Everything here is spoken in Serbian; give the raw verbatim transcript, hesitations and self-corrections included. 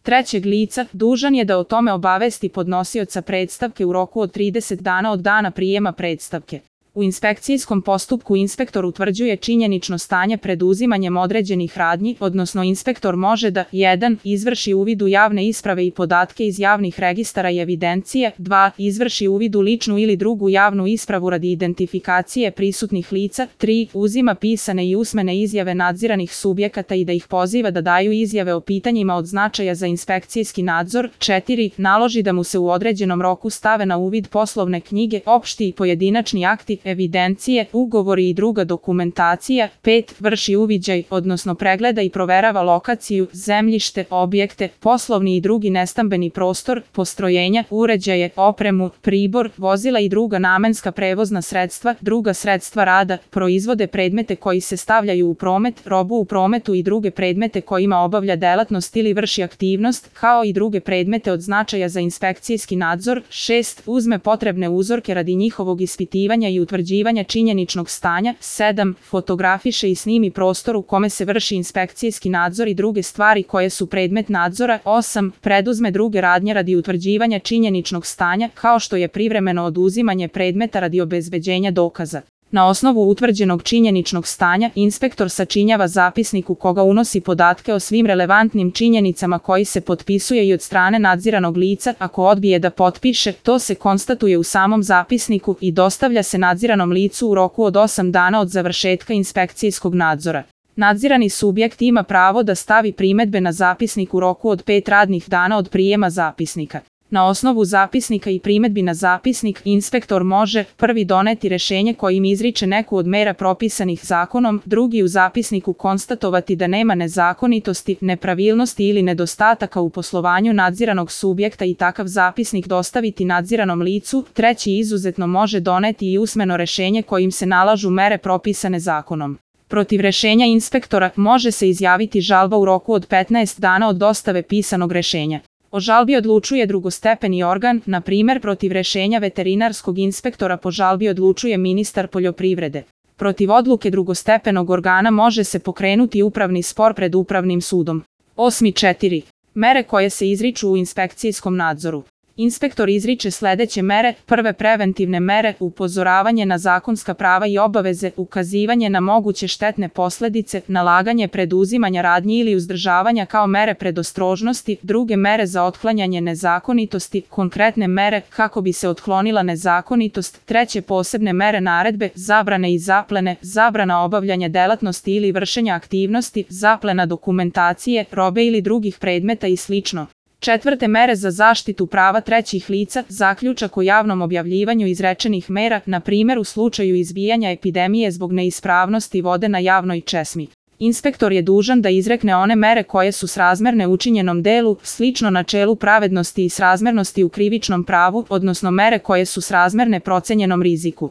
trećeg lica, dužan je da o tome obavesti podnosioca predstavke u roku od trideset dana od dana prijema predstavke. U inspekcijskom postupku inspektor utvrđuje činjenično stanje preduzimanjem određenih radnji, odnosno inspektor može da jedan izvrši uvid u javne isprave i podatke iz javnih registara i evidencije, dva izvrši uvid u ličnu ili drugu javnu ispravu radi identifikacije prisutnih lica, tri uzima pisane i usmene izjave nadziranih subjekata i da ih poziva da daju izjave o pitanjima od značaja za inspekcijski nadzor, četiri naloži da mu se u određenom roku stave na uvid poslovne knjige, opšti i pojedinačni akti, evidencije, ugovori i druga dokumentacija, pet vrši uviđaj, odnosno pregleda i proverava lokaciju, zemljište, objekte, poslovni i drugi nestambeni prostor, postrojenja, uređaje, opremu, pribor, vozila i druga namenska prevozna sredstva, druga sredstva rada, proizvode, predmete koji se stavljaju u promet, robu u prometu i druge predmete kojima obavlja delatnost ili vrši aktivnost, kao i druge predmete od značaja za inspekcijski nadzor, šest uzme potrebne uzorke radi njihovog ispitivanja i utvrđivanja činjeničnog stanja, sedam fotografiše i snimi prostor u kome se vrši inspekcijski nadzor i druge stvari koje su predmet nadzora, osam preduzme druge radnje radi utvrđivanja činjeničnog stanja, kao što je privremeno oduzimanje predmeta radi obezbeđenja dokaza. Na osnovu utvrđenog činjeničnog stanja, inspektor sačinjava zapisnik u koga unosi podatke o svim relevantnim činjenicama koji se potpisuje i od strane nadziranog lica. Ako odbije da potpiše, to se konstatuje u samom zapisniku i dostavlja se nadziranom licu u roku od osam dana od završetka inspekcijskog nadzora. Nadzirani subjekt ima pravo da stavi primedbe na zapisnik u roku od pet radnih dana od prijema zapisnika. Na osnovu zapisnika i primedbi na zapisnik, inspektor može prvi doneti rešenje kojim izriče neku od mera propisanih zakonom, drugi u zapisniku konstatovati da nema nezakonitosti, nepravilnosti ili nedostataka u poslovanju nadziranog subjekta i takav zapisnik dostaviti nadziranom licu, treći izuzetno može doneti i usmeno rešenje kojim se nalažu mere propisane zakonom. Protiv rešenja inspektora može se izjaviti žalba u roku od petnaest dana od dostave pisanog rešenja. O žalbi odlučuje drugostepeni organ, na primer protiv rešenja veterinarskog inspektora po žalbi odlučuje ministar poljoprivrede. Protiv odluke drugostepenog organa može se pokrenuti upravni spor pred upravnim sudom. osam četiri Mere koje se izriču u inspekcijskom nadzoru. Inspektor izriče sledeće mere: prve preventivne mere, upozoravanje na zakonska prava i obaveze, ukazivanje na moguće štetne posledice, nalaganje preduzimanja radnji ili uzdržavanja kao mere predostrožnosti, druge mere za otklanjanje nezakonitosti, konkretne mere kako bi se otklonila nezakonitost, treće posebne mere naredbe, zabrane i zaplene, zabrana obavljanja delatnosti ili vršenja aktivnosti, zaplena dokumentacije, robe ili drugih predmeta i slično. Četvrte mere za zaštitu prava trećih lica, zaključak o javnom objavljivanju izrečenih mera, na primjer u slučaju izbijanja epidemije zbog neispravnosti vode na javnoj česmi. Inspektor je dužan da izrekne one mere koje su srazmerne učinjenom delu, slično načelu pravednosti i srazmernosti u krivičnom pravu, odnosno mere koje su srazmerne procenjenom riziku.